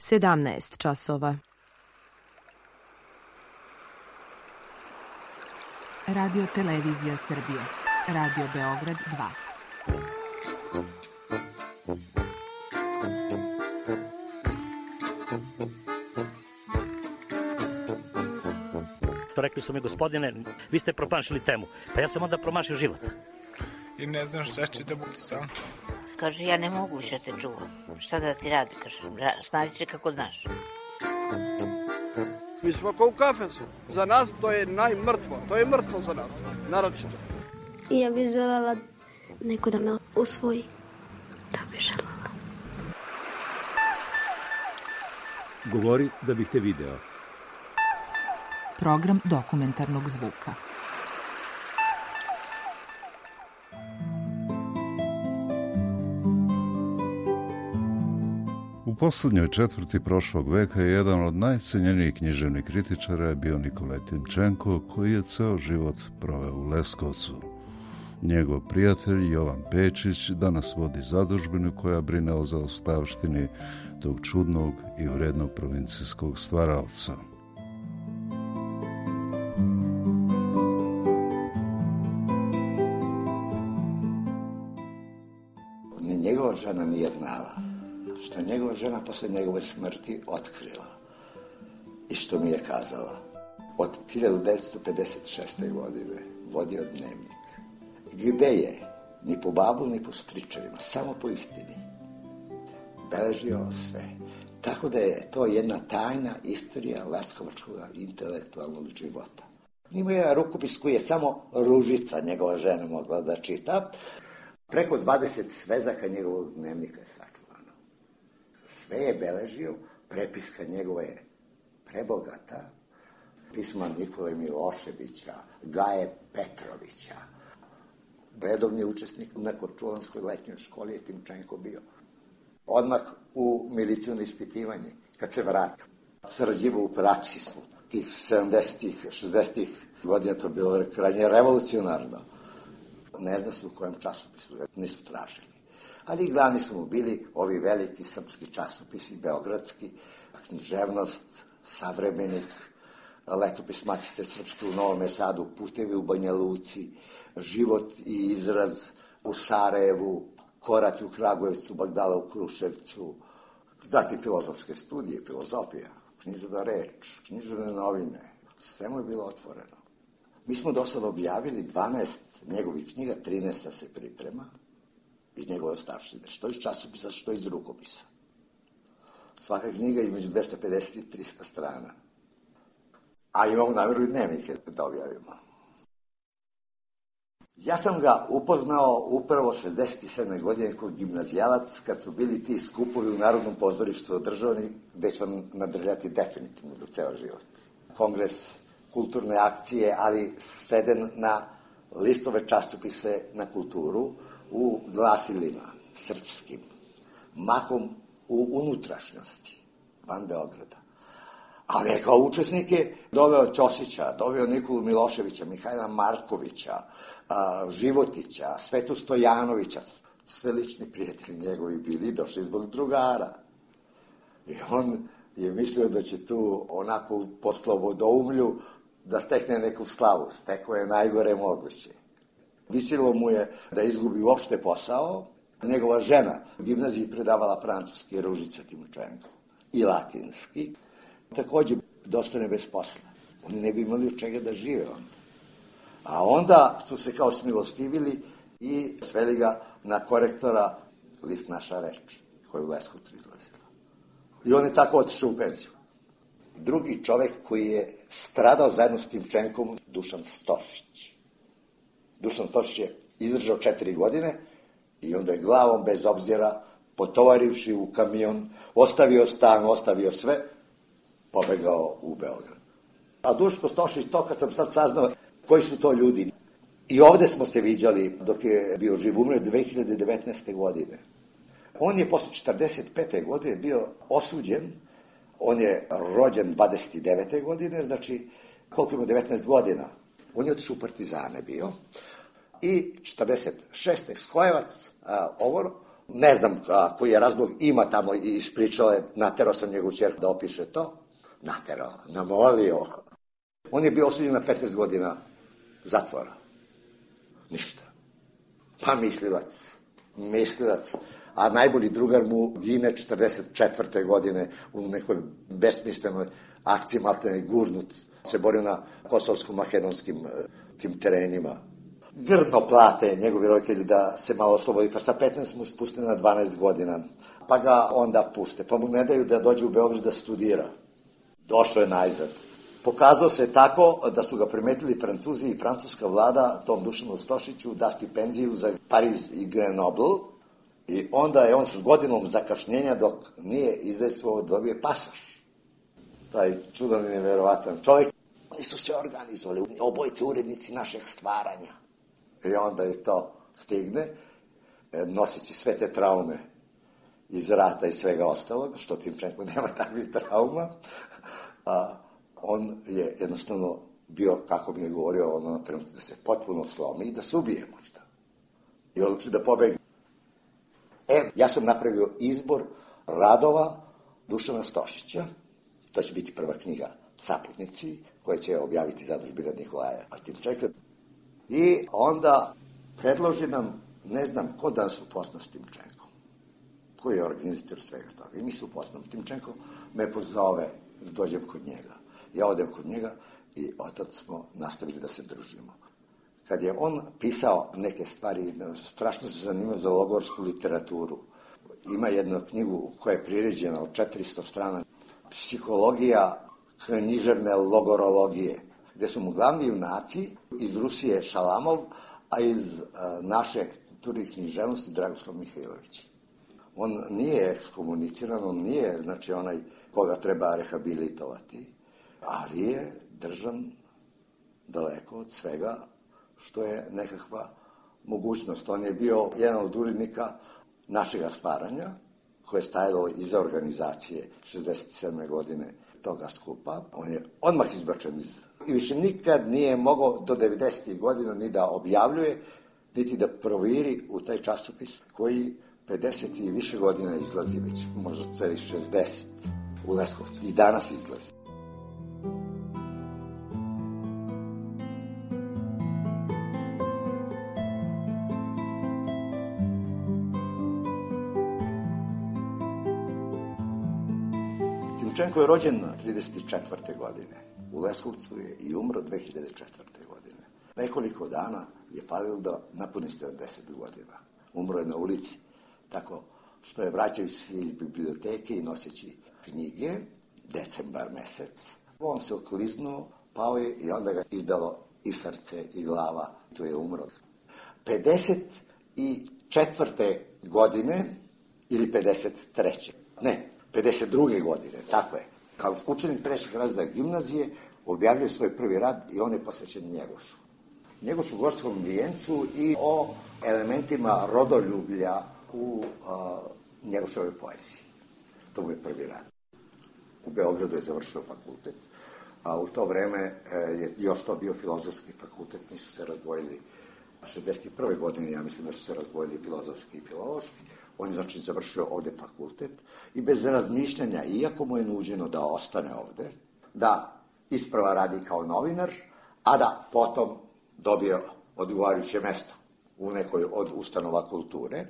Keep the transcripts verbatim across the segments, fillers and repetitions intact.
sedamnaest časova. Radio Televizija Srbije. Radio Beograd dva. Rekli su mi, gospodine, vi ste promašili temu. Pa ja sam onda promašio život. I ne znam šta će da bude sam. Kaže, ja ne mogu više te čuvam. Šta da ti radi, kaže, snađi se kako znaš. Mi smo kao u kafesu. Za nas to je najmrtvo. To je mrtvo za nas, naročito. I ja bih želela neko da me usvoji. Da bih želela. Govori da bih te video. Program dokumentarnog zvuka. U poslednjoj četvrti prošlog veka je jedan od najcenjenijih književnih kritičara bio Nikolaj Timčenko, koji je ceo život proveo u Leskovcu. Njegov prijatelj Jovan Pečić danas vodi zadužbinu koja brine o zaostavštini tog čudnog i vrednog provincijskog stvaraoca. Njegova žena nije znala, što njegova žena posle njegove smrti otkrila i što mi je kazala. Od hiljadu devetsto pedeset šeste. godine vodio dnevnik, gde je ni po babu ni po stričevima, samo po istini beležio sve. Tako da je to jedna tajna istorija leskovačkog intelektualnog života. Ima je rukopis koji je samo Ružica, njegova žena, mogla da čita. Preko dvadeset svezaka njegovog dnevnika je sačuvano. Sve je beležio, prepiska njegova je prebogata. Pisma Nikole Miloševića, Gaje Petrovića. Redovni učesnik na Korčulanskoj letnjoj školi je Timčenko bio. Odmah u milicijno ispitivanje, kad se vratio. Sarađivao u praksisu. Tih sedamdesetih, šezdesetih godina to bilo krajnje revolucionarno. Ne zna se u kojem časopisu, nisu tražili. Ali glavni su mu bili ovi veliki srpski časopisi, beogradski, književnost, Savremenik, Letopis Matice Srpske u Novom Sadu, Putevi u Banja Luci, Život i izraz u Sarajevu, Korac u Kragujevcu, Bagdala u Kruševcu, zatim filozofske studije, filozofija, književna reč, književne novine, sve mu je bilo otvoreno. Mi smo do sada objavili dvanaest njegovih knjiga, trinaest se priprema iz njegove ostavštine, što iz časopisa, što iz rukopisa. Svaka knjiga između dvesta pedeset i trista strana. A imamo namjeru i dnevnike da objavimo. Ja sam ga upoznao upravo šezdeset sedme. godine kod gimnazijalac, kad su bili ti skupovi u Narodnom pozorištu održavani, gde će vam nadrljati definitivno za ceo život. Kongres, kulturne akcije, ali sveden na listove časopise na kulturu u glasilima srpskim, mahom u unutrašnjosti, van Beograda. Ali je kao učesnike doveo Ćosića, doveo Nikolu Miloševića, Mihajla Markovića, Životića, Svetu Stojanovića. Sve lični prijatelji njegovi bili, došli zbog drugara. I on je mislio da će tu onako po slobodoumlju da stekne neku slavu. Stekao je najgore moguće. Visilo mu je da izgubi uopšte posao. Njegova žena u gimnaziji predavala francuski, Ružica Timčenko, i latinski. Takođe, dostane bez posla. Oni ne bi imali od čega da žive onda. A onda su se kao smilostivili i sveli ga na korektora list Naša reč, koja je u Leskovcu izlazila. I on je tako otišao u penziju. Drugi čovek koji je stradao zajedno s Timčenkom, Dušan Stošić. Dušan Stošić je izdržao četiri godine i onda je glavom bez obzira, potovarivši u kamion, ostavio stan, ostavio sve, pobegao u Beograd. A Duško Stošić, to kad sam sad saznao koji su to ljudi. I ovde smo se viđali dok je bio živ, umre dve hiljade devetnaeste. godine. On je posle četrdeset pete. godine bio osuđen. On je rođen dvadeset devete. godine, znači koliko ima devetnaest godina. On je otišao u partizane bio. I četrdeset šeste. Skojevac, a, ovo, Ne znam a, koji je razlog, ima tamo i ispričala je, naterao sam njegovu ćerku da opiše to. Naterao, namolio. On je bio osuđen na petnaest godina zatvora. Ništa. Pa mislilac. Mislilac. A najbolji drugar mu gine četrdeset četvrte godine u nekoj besmislenoj akciji, maltene gurnut. Se borio na kosovsko-makedonskim tim terenima. Grdno plate njegovi roditelji da se malo oslobodi, pa sa petnaest mu spuste na dvanaest godina. Pa ga onda puste, pa mu ne daju da dođe u Beograd da studira. Došao je najzad. Pokazao se tako da su ga primetili Francuzi i francuska vlada tom Dušanu Stošiću da stipendiju za Pariz i Grenoble i onda je on s godinom zakašnjenja dok nije izdejstvovao dobio pasoš. Taj čudan i neverovatan čovjek. Oni su se organizovali, obojice urednici našeg stvaranja. I onda je to stigne, noseći sve te traume iz rata i svega ostalog, što Timčenko nema takvih trauma, a on je jednostavno bio, kako mi je govorio, ono trenutno da se potpuno slomi i da se ubije možda. I odluči da pobegne. E, ja sam napravio izbor radova Dušana Stošića, to će biti prva knjiga Saputnici, koje će objaviti zadužbina Nikolaja Timčenka. I onda predloži nam, ne znam ko da se upozna s Timčenkom, koji je organizator svega toga. I mi se upoznamo. Timčenko me pozove da dođem kod njega. Ja odem kod njega i otac smo nastavili da se družimo. Kad je on pisao neke stvari, strašno se zanimao za logorsku literaturu. Ima jednu knjigu koja je priređena od četiristo strana, Psihologija književne logorologije, gde su mu glavni junaci iz Rusije Šalamov, a iz a, naše kulture i književnosti Dragoslav Mihajlović. On nije ekskomuniciran, on nije, znači, onaj koga treba rehabilitovati, ali je držan daleko od svega što je nekakva mogućnost. On je bio jedan od urednika našega stvaranja, koje je stajalo iza organizacije šezdeset sedme godine toga skupa. On je odmah izbačen iz... I više nikad nije mogao do devedesetih godina ni da objavljuje, niti da proviri u taj časopis koji pedeset i više godina izlazi već, možda celi šezdeset u Leskovcu. I danas izlazi. Timčenko je rođen trideset četvrte godine. U Leskovcu je i umro dve hiljade četvrte godine. Nekoliko dana je falilo da napuni sedamdeset godina. Umro je na ulici, tako što je vraćajući se iz biblioteke i noseći knjige, decembar mesec. On se okliznuo, pao je i onda ga izdalo i srce i glava. Tu je umro. pedeset četvrte godine ili pedeset treće Ne, pedeset druge godine, tako je. Kao učenik trećeg razreda gimnazije objavljuje svoj prvi rad i on je posvećen Njegošu. Njegošu gorskom vijencu i o elementima rodoljublja u a, Njegošovoj poeziji. To mu je prvi rad. U Beogradu je završio fakultet, a u to vreme je još to bio filozofski fakultet, nisu se razdvojili. šezdeset prve godine, ja mislim da su se razdvojili filozofski i filološki. On je, znači, završio ovde fakultet i bez razmišljanja, iako mu je nuđeno da ostane ovde, da isprva radi kao novinar, a da potom dobije odgovarajuće mesto u nekoj od ustanova kulture,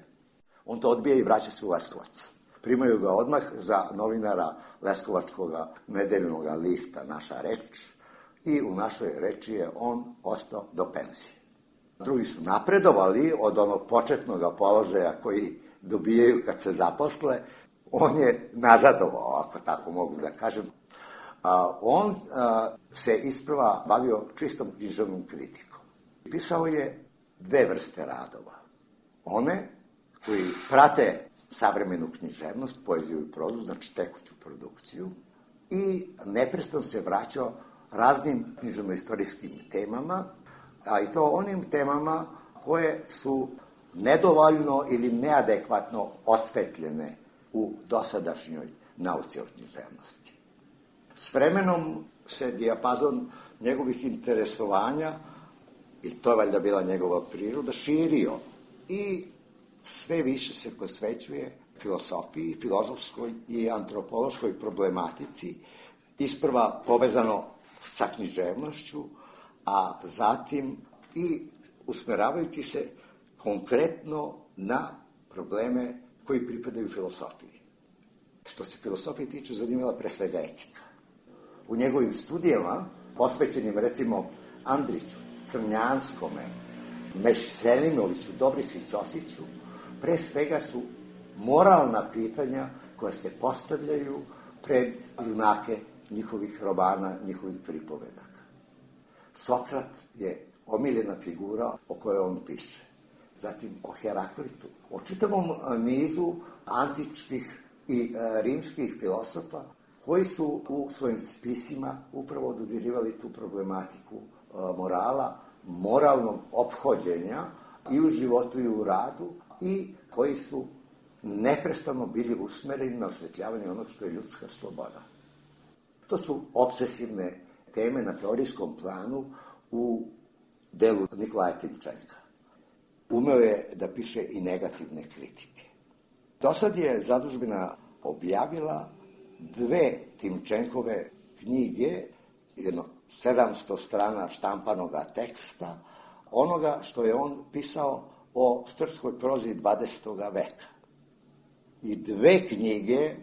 on to odbija i vraća se u Leskovac. Primaju ga odmah za novinara Leskovačkog nedeljnog lista Naša reč i u Našoj reči je on ostao do penzije. Drugi su napredovali od onog početnog položaja koji dobijaju kad se zaposle, on je nazadovao, ako tako mogu da kažem. A, on a, se isprva bavio čistom književnom kritikom. Pisao je dve vrste radova. One koji prate savremenu književnost, poeziju i prozu, znači tekuću produkciju, i neprestano se vraćao raznim književno-istorijskim temama, a i to onim temama koje su nedovoljno ili neadekvatno osvetljene u dosadašnjoj nauci o književnosti. S vremenom se dijapazon njegovih interesovanja, i to je valjda bila njegova priroda, širio i sve više se posvećuje filosofiji, filozofskoj i antropološkoj problematici, isprva povezano sa književnošću, a zatim i usmeravajući se konkretno na probleme koji pripadaju filosofiji. Što se filosofije tiče, zanimala pre svega etika. U njegovim studijama, posvećenim recimo Andriću, Crnjanskome, Mešselimoviću, Dobrici Ćosiću, pre svega su moralna pitanja koja se postavljaju pred junake njihovih romana, njihovih pripovedaka. Sokrat je omiljena figura o kojoj on piše. Zatim o Heraklitu, o čitavom nizu antičkih i rimskih filosofa koji su u svojim spisima upravo dodirivali tu problematiku morala, moralnog ophođenja i u životu i u radu i koji su neprestano bili usmereni na osvetljavanje onog što je ljudska sloboda. To su obsesivne teme na teorijskom planu u delu Nikolaja Timčenka. Umeo je da piše i negativne kritike. Do sad je zadužbina objavila dve Timčenkove knjige, jedno sedamsto strana štampanoga teksta, onoga što je on pisao o srpskoj prozi dvadesetog veka. I dve knjige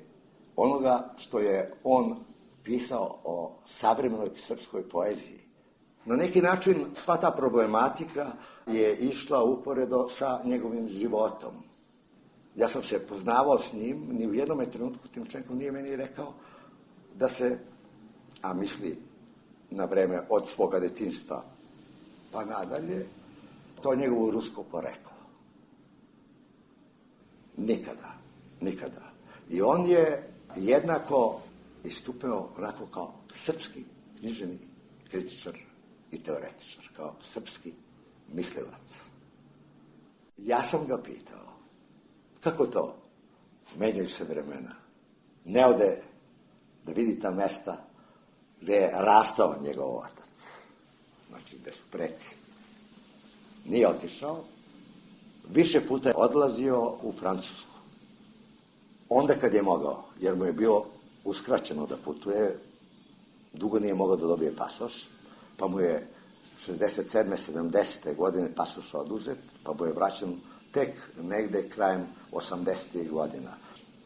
onoga što je on pisao o savremenoj srpskoj poeziji. Na neki način sva ta problematika je išla uporedo sa njegovim životom. Ja sam se poznavao s njim, ni u jednom trenutku Timčenkov nije meni rekao da se, a misli na vreme od svoga detinjstva pa nadalje, to njegovo rusko poreklo. Nikada, nikada. I on je jednako istupio onako kao srpski književni kritičar i teoretičar, kao srpski mislilac. Ja sam ga pitao, kako to? Menjaju se vremena. Ne ode da vidi ta mesta gde je rastao njegov otac. Znači, gde su preci. Nije otišao. Više puta je odlazio u Francusku. Onda kad je mogao, jer mu je bilo uskraćeno da putuje, dugo nije mogao da dobije pasoš, pa mu je šezdeset sedme sedamdesete godine pasoš oduzet, pa mu je vraćan tek negde krajem osamdesetih godina,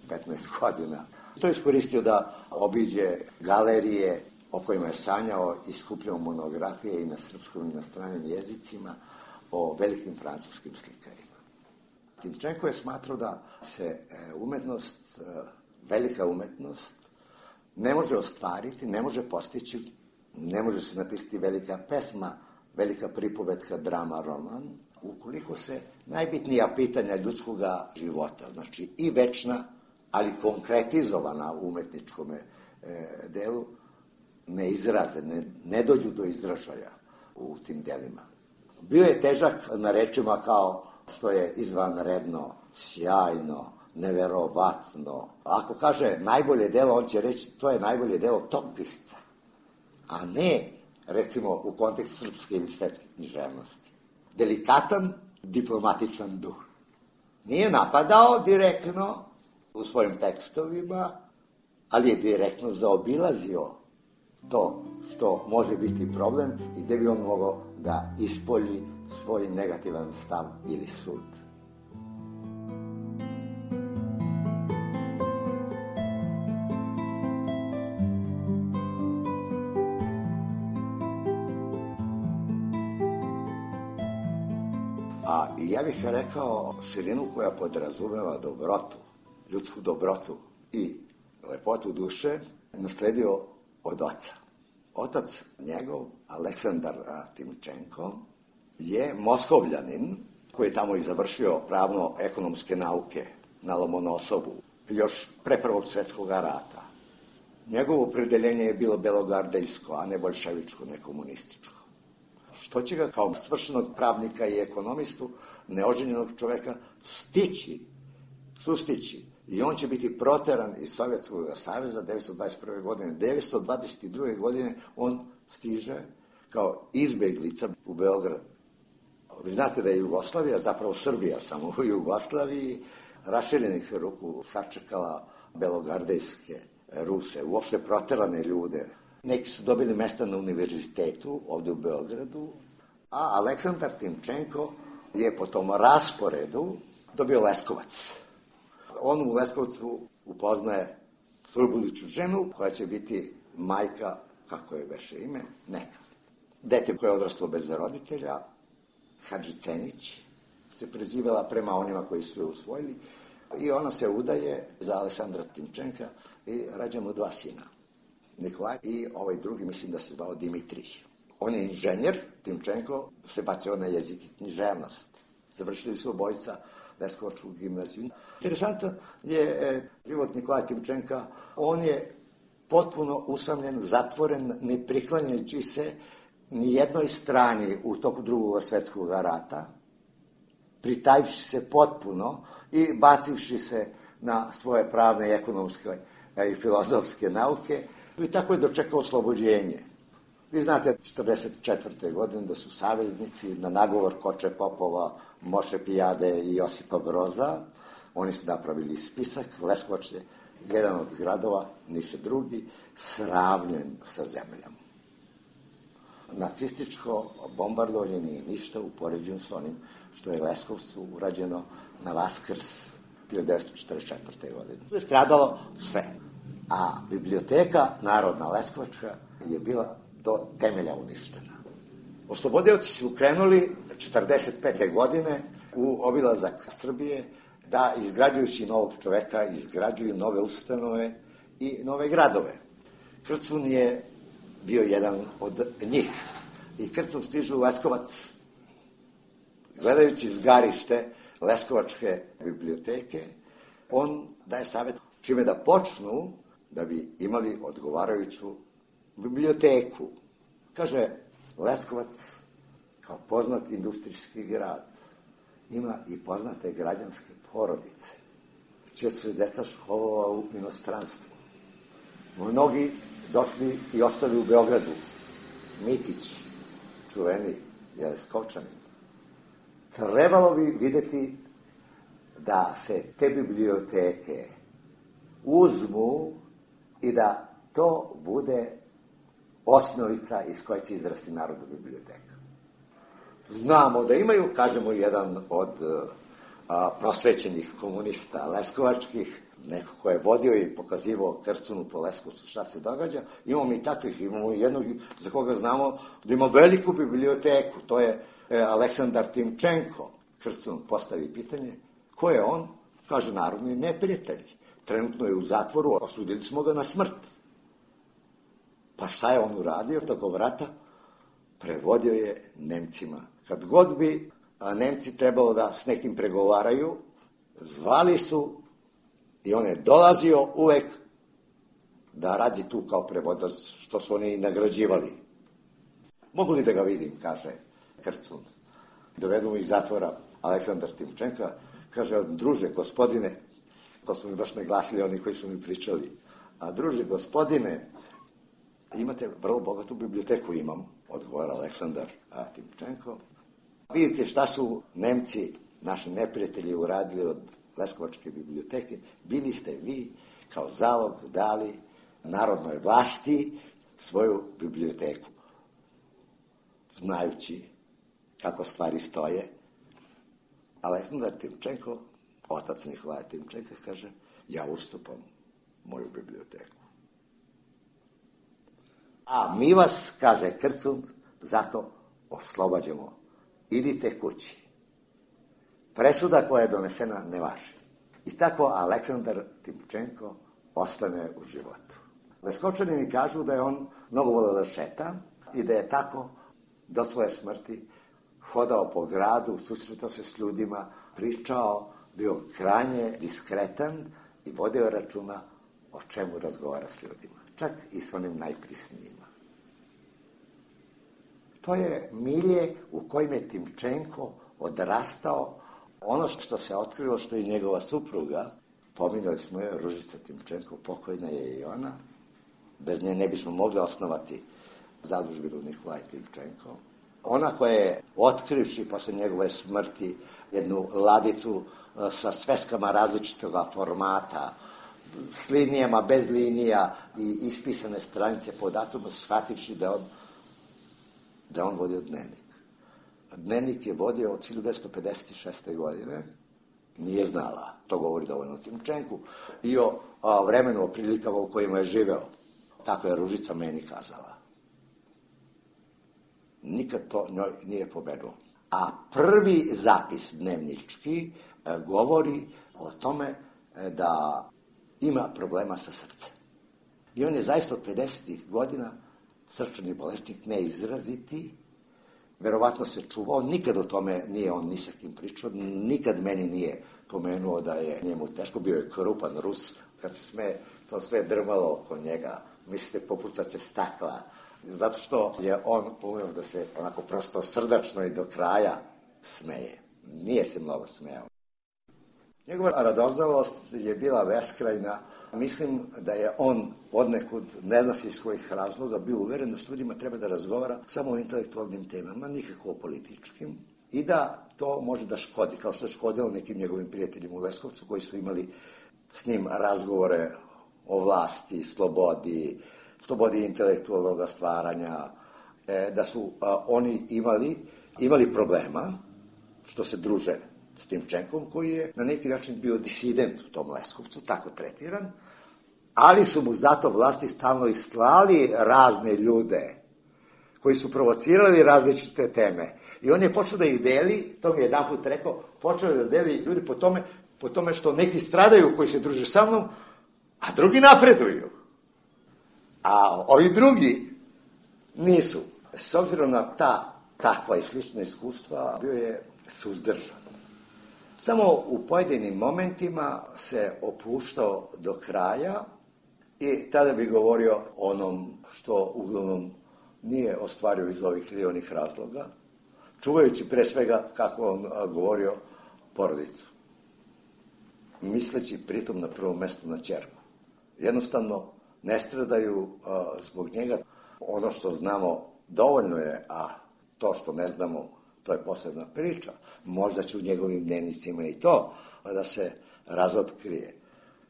petnaest godina. To je iskoristio da obiđe galerije o kojima je sanjao i skupljao monografije i na srpskom i na stranim jezicima o velikim francuskim slikarima. Timčenko je smatrao da se umetnost, velika umetnost, ne može ostvariti, ne može postići, ne može se napisati velika pesma, velika pripovetka, drama, roman, ukoliko se najbitnija pitanja ljudskog života, znači i večna, ali konkretizovana u umetničkom e, delu, ne izraze, ne, ne dođu do izražaja u tim delima. Bio je težak na rečima kao što je izvanredno, sjajno, neverovatno. Ako kaže najbolje delo, on će reći to je najbolje delo tog pisca, a ne, recimo, u kontekstu srpske ili svetske književnosti. Delikatan, diplomatičan duh. Nije napadao direktno u svojim tekstovima, ali je direktno zaobilazio to što može biti problem i gde bi on mogao da ispolji svoj negativan stav ili sud. A ja bih rekao širinu koja podrazumeva dobrotu, ljudsku dobrotu i lepotu duše, nasledio od oca. Otac njegov, Aleksandar Timčenko, je Moskovljanin koji je tamo i završio pravno-ekonomske nauke na Lomonosovu još pre Prvog svjetskog rata. Njegovo opredeljenje je bilo belogardejsko, a ne boljševičko, ne komunističko. Što će ga kao svršenog pravnika i ekonomistu, neoženjenog čoveka, stići, sustići. I on će biti proteran iz Sovjetskog saveza devetsto dvadeset prve godine. devetsto dvadeset druge godine on stiže kao izbeglica u Beograd. Vi znate da je Jugoslavija, zapravo Srbija samo u Jugoslaviji, raširenih ruku sačekala belogardejske Ruse, uopšte proterane ljude. Neki su dobili mesta na univerzitetu ovde u Beogradu, a Aleksandar Timčenko je po tom rasporedu dobio Leskovac. On u Leskovcu upoznaje svoju buduću ženu, koja će biti majka, kako je veše ime, neka. Dete koje je odraslo bez roditelja, Hadži Cenić, se prezivala prema onima koji su je usvojili, i ona se udaje za Aleksandra Timčenka i rađa mu dva sina, Nikolaj i ovaj drugi, mislim da se zvao Dimitrij. On je inženjer, Timčenko se bacio na jezik i književnost. Završili su obojica Leskovačku gimnaziju. Interesantan je e, život Nikolaja Timčenka. On je potpuno usamljen, zatvoren, ne priklanjajući se ni jednoj strani u toku drugog svetskog rata, pritajivši se potpuno i bacivši se na svoje pravne, ekonomske i filozofske nauke, i tako je dočekao oslobođenje. Vi znate, četrdeset četvrte godine da su saveznici na nagovor Koče Popova, Moše Pijade i Josipa Broza, oni su napravili spisak, Leskovac je jedan od gradova, Niš je drugi, sravnjen sa zemljom. Nacističko bombardovanje nije ništa u poređenju s onim što je Leskovcu urađeno na Vaskrs hiljadu devetsto četrdeset četvrte godine. To je stradalo sve. A biblioteka Narodna Leskovačka je bila do temelja uništena. Oslobodioci su krenuli četrdeset pete godine u obilazak Srbije da, izgrađujući novog čoveka, izgrađuju nove ustanove i nove gradove. Krcun je bio jedan od njih. I Krcun stižu u Leskovac. Gledajući zgarište Leskovačke biblioteke, on daje savjet čime da počnu da bi imali odgovarajuću biblioteku. Kaže, Leskovac, kao poznat industrijski grad, ima i poznate građanske porodice, čije su deca školovala u inostranstvu. Mnogi došli i ostali u Beogradu. Mitić, čuveni, je Leskovčanin. Trebalo bi videti da se te biblioteke uzmu i da to bude osnovica iz koje će izrasti Narodna biblioteka. Znamo da imaju, kažemo, jedan od a, prosvećenih komunista leskovačkih, neko ko je vodio i pokazivao Krcunu po Leskovcu šta se događa. Imamo i takvih, imamo i jednog za koga znamo da ima veliku biblioteku, to je e, Aleksandar Timčenko. Krcun postavi pitanje, ko je on? Kaže, narodni neprijatelj. Trenutno je u zatvoru, osudili smo ga na smrt. Pa šta je on uradio tokom rata? Prevodio je Nemcima. Kad god bi a, Nemci trebalo da s nekim pregovaraju, zvali su i on je dolazio uvek da radi tu kao prevodilac, što su oni nagrađivali. Mogu li da ga vidim, kaže Krcun. Dovedu mu iz zatvora Aleksandar Timčenka, kaže, druže, gospodine, to su mi baš naglasili oni koji su mi pričali, a druže, gospodine, imate vrlo bogatu biblioteku, imam, odgovara Aleksandar Timčenko. Vidite šta su Nemci, naši neprijatelji, uradili od Leskovačke biblioteke. Bili ste vi kao zalog dali narodnoj vlasti svoju biblioteku. Znajući kako stvari stoje, Aleksandar Timčenko, otac Nikolaja Timčenka, kaže, ja ustupam moju biblioteku. A mi vas, kaže Krcun, zato oslobađamo. Idite kući. Presuda koja je donesena ne važi. I tako Aleksandar Timčenko ostane u životu. Leskovčani kažu da je on mnogo voleo da šeta i da je tako do svoje smrti hodao po gradu, susretao se s ljudima, pričao, bio krajnje diskretan i vodio računa o čemu razgovara s ljudima. Čak i s onim najprisnijima. To je milje u kojem je Timčenko odrastao. Ono što se otkrilo, što je njegova supruga, pominjali smo je, Ružica Timčenko, pokojna je i ona. Bez nje ne bismo mogli osnovati zadužbinu Nikolaj Timčenko. Ona koja je, otkrivši posle njegove smrti jednu ladicu sa sveskama različitog formata, s linijama, bez linija i ispisane stranice po datumu, shvativši da on, da on vodio dnevnik. Dnevnik je vodio od hiljadu devetsto pedeset šeste. godine, nije znala, to govori dovoljno o Timčenku, i o, o vremenu, o prilikama u kojima je živeo. Tako je Ružica meni kazala. Nikad to njoj nije pobenuo. A prvi zapis dnevnički e, govori o tome e, da ima problema sa srcem. I on je zaista od pedesetih godina srčani bolesnik, neizraziti, verovatno se čuvao, nikad o tome nije on ni sa kim pričao, nikad meni nije pomenuo da je njemu teško, bio je krupan Rus, kad se sme, to sve drmalo oko njega, mislite popucat će stakla, zato što je on umeo da se onako prosto srdačno i do kraja smeje. Nije se mnogo smejao. Njegova radoznalost je bila beskrajna. Mislim da je on odnekud, ne zna se iz kojih razloga, bio uveren da s ljudima treba da razgovara samo o intelektualnim temama, nikako o političkim, i da to može da škodi, kao što je škodilo nekim njegovim prijateljima u Leskovcu koji su imali s njim razgovore o vlasti, slobodi, slobodi intelektualnog stvaranja, da su oni imali, imali problema što se druže s Timčenkom, koji je na neki način bio disident u tom Leskovcu, tako tretiran, ali su mu zato vlasti stalno i slali razne ljude koji su provocirali različite teme. I on je počeo da ih deli, to mi je jedan put rekao, počeo da deli ljudi po tome, po tome što neki stradaju koji se druže sa mnom, a drugi napreduju. A ovi drugi nisu. S obzirom na ta takva i slična iskustva, bio je suzdržan. Samo u pojedinim momentima se opuštao do kraja i tada bi govorio onom što uglavnom nije ostvario iz ovih ili onih razloga, čuvajući pre svega, kako on govorio, porodicu. Misleći pritom na prvom mestu na ćerku. Jednostavno ne stradaju a, zbog njega. Ono što znamo dovoljno je, a to što ne znamo, to je posebna priča. Možda će u njegovim dnevnicima i to da se razotkrije.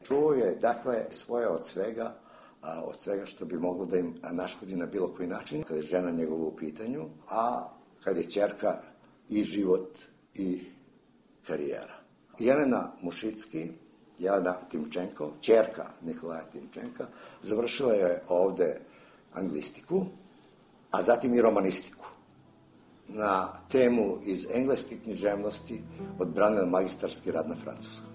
Čuo je, dakle, svoje od svega, a, od svega što bi moglo da im naškodi na bilo koji način, kada je žena njegova u pitanju, a kad je ćerka i život i karijera. Jelena Mušicki, Jelena Timčenko, ćerka Nikolaja Timčenka, završila je ovde anglistiku, a zatim i romanistiku. Na temu iz engleske književnosti odbranila magistarski rad na francuskom.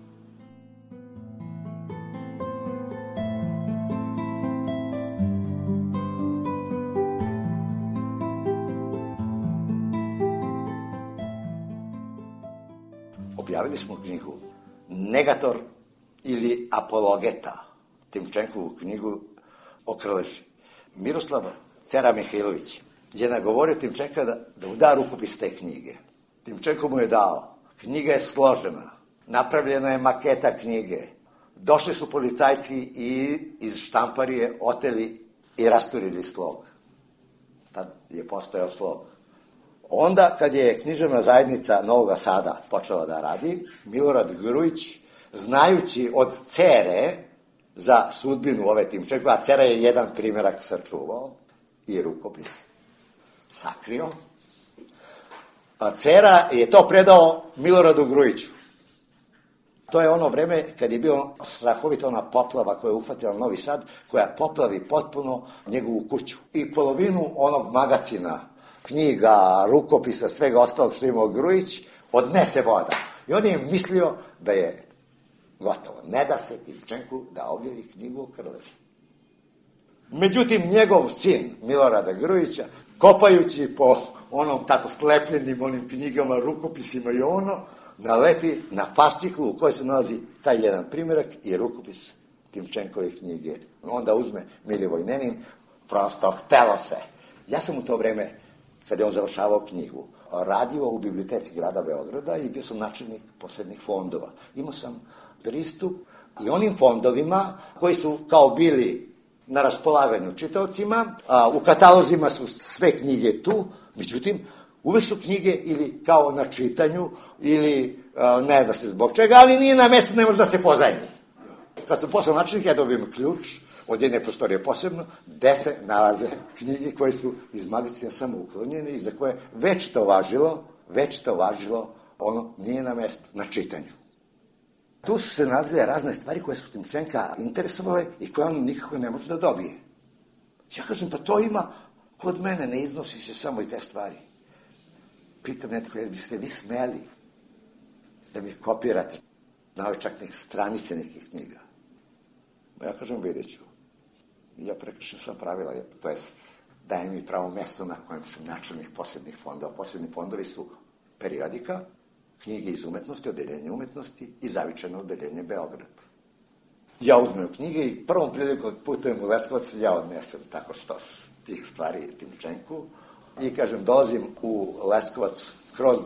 Objavili smo knjigu Negator ili Apologeta, Timčenkovu knjigu o Krleži. Miroslav Cera Mihajlović je nagovorio Timčenka da, da uda rukopis te knjige. Timčenko mu je dao. Knjiga je složena, napravljena je maketa knjige. Došli su policajci i iz štamparije oteli i rasturili slog. Tad je postojao slog. Onda, kad je književna zajednica Novog Sada počela da radi, Milorad Grujić, znajući od Cere za sudbinu ove Timčenko, a Cera je jedan primjerak sačuvao i rukopis, sakrio, a Cera je to predao Miloradu Grujiću. To je ono vreme kad je bio strahovita ona poplava koja je uhvatila Novi Sad, koja poplavi potpuno njegovu kuću. I polovinu onog magacina, knjiga, rukopisa, svega ostalog što imao Grujić, odnese voda. I on je mislio da je gotovo. Ne da se Timčenku da objavi knjigu o Krleži. Međutim, njegov sin, Milorada Grujića, kopajući po onom tako slepljenim onim knjigama, rukopisima i ono, naleti na fasciklu u kojoj se nalazi taj jedan primjerak i rukopis Timčenkove knjige. Onda uzme Milivoj Nenin, prosto htelo se. Ja sam u to vreme, kada je on završavao knjigu, radio u biblioteci grada Beograda i bio sam načelnik posebnih fondova. Imao sam pristup i onim fondovima koji su kao bili na raspolaganju čitaocima, a u katalozima su sve knjige tu, međutim, Uvek su knjige ili kao na čitanju, ili ne zna se zbog čega, ali nije na mestu, ne može da se pozajmi. Kad sam poslao načelnik, ja dobijem ključ od jedne prostorije posebno, gde se nalaze knjige koje su iz magazina samo uklonjene i za koje već to važilo, već to važilo, ono nije na mestu, na čitanju. Tu su se nalazile razne stvari koje su Timčenka interesovale i koje on nikako ne može da dobije. Ja kažem, pa to ima kod mene, ne iznosi se samo i te stvari. Pitam netko, jel biste vi smeli da mi kopirate na ove čak neke stranice nekih knjiga? Ja kažem, vidjet ću. Ja prekršim sva pravila, to jest dajem mi pravo mesto na kojem sam načelnik posebnih fondova. Posebni fondovi su periodika, knjige iz umetnosti, odeljenje umetnosti i zavičajno odeljenje Beograd. Ja uzmem knjige i prvom prilikom putujem u Leskovac, ja odnesem tako što tih stvari Timčenku i kažem, dolazim u Leskovac kroz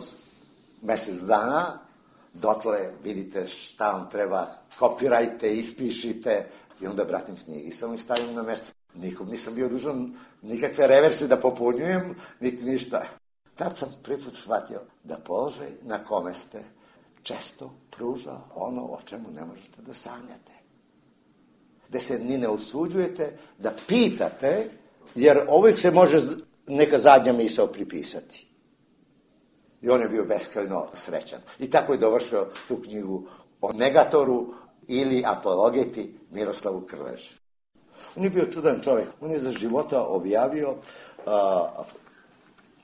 mesec dana, dotle vidite šta vam treba, kopirajte, ispišite i onda vratim knjige i samo ih stavim na mesto. Nikom nisam bio dužan nikakve reverse da popunjujem, niti ništa. Tad sam prvi put shvatio da položaj na kome ste često pruža ono o čemu ne možete da sanjate. Da se ni ne usuđujete, da pitate, jer uvijek se može neka zadnja misao pripisati. I on je bio beskrajno srećan. I tako je dovršio tu knjigu o negatoru ili apologeti Miroslavu Krleži. On je bio čudan čovjek. On je za života objavio a,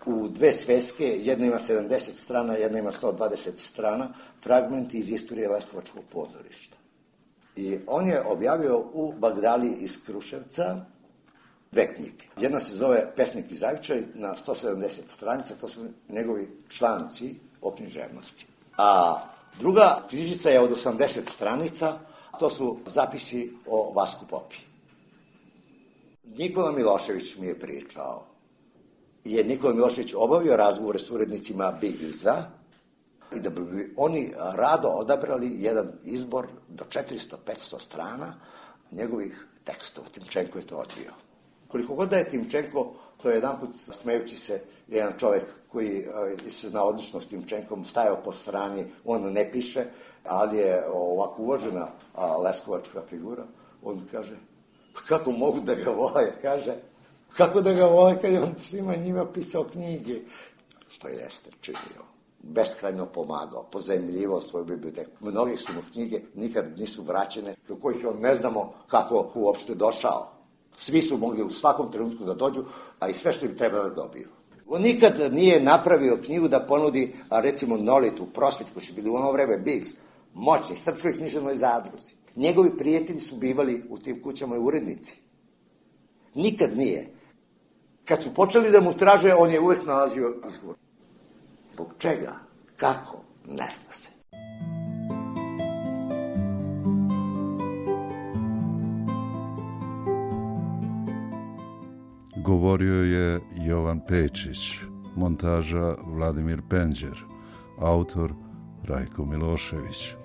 u dve sveske, jedna ima sedamdeset strana, jedna ima sto dvadeset strana, fragmenti iz istorije Leskovačkog pozorišta. I on je objavio u Bagdali iz Kruševca dve knjige. Jedna se zove Pesnik i zavičaj na sto sedamdeset stranica, to su njegovi članci o književnosti. A druga knjižica je od osamdeset stranica, to su zapisi o Vasku Popi. Nikola Milošević mi je pričao, je Nikola Milošević obavio razgovore s urednicima Bigza i da bi oni rado odabrali jedan izbor do četiristo do petsto strana njegovih tekstova. Timčenko je to odvio. Koliko god da je Timčenko, to je jedan put smejući se jedan čovjek koji se zna odlično s Timčenkom, stajao po strani, on ne piše, ali je ovako uvažena leskovačka figura, on kaže, kako mogu da ga vole, kaže, kako da ga vole kad je on svima njima pisao knjige, što je jeste činio. Beskrajno pomagao, pozajmljivao svoju biblioteku. Mnogi su mu knjige nikad nisu vraćene, do kojih on ne znamo kako uopšte došao. Svi su mogli u svakom trenutku da dođu, a i sve što im treba da dobiju. On nikad nije napravio knjigu da ponudi, a recimo Nolitu, Prosvit, koji su bili u ono vreme Bigz, moćni, Srpskoj književnoj zadruzi. Njegovi prijatelji su bivali u tim kućama i urednici. Nikad nije. Kad su počeli da mu traže, on je uvek nalazio izgovor. Zbog čega? Kako? Ne zna se. Govorio je Jovan Pečić, montaža Vladimir Penđer, autor Rajko Milošević.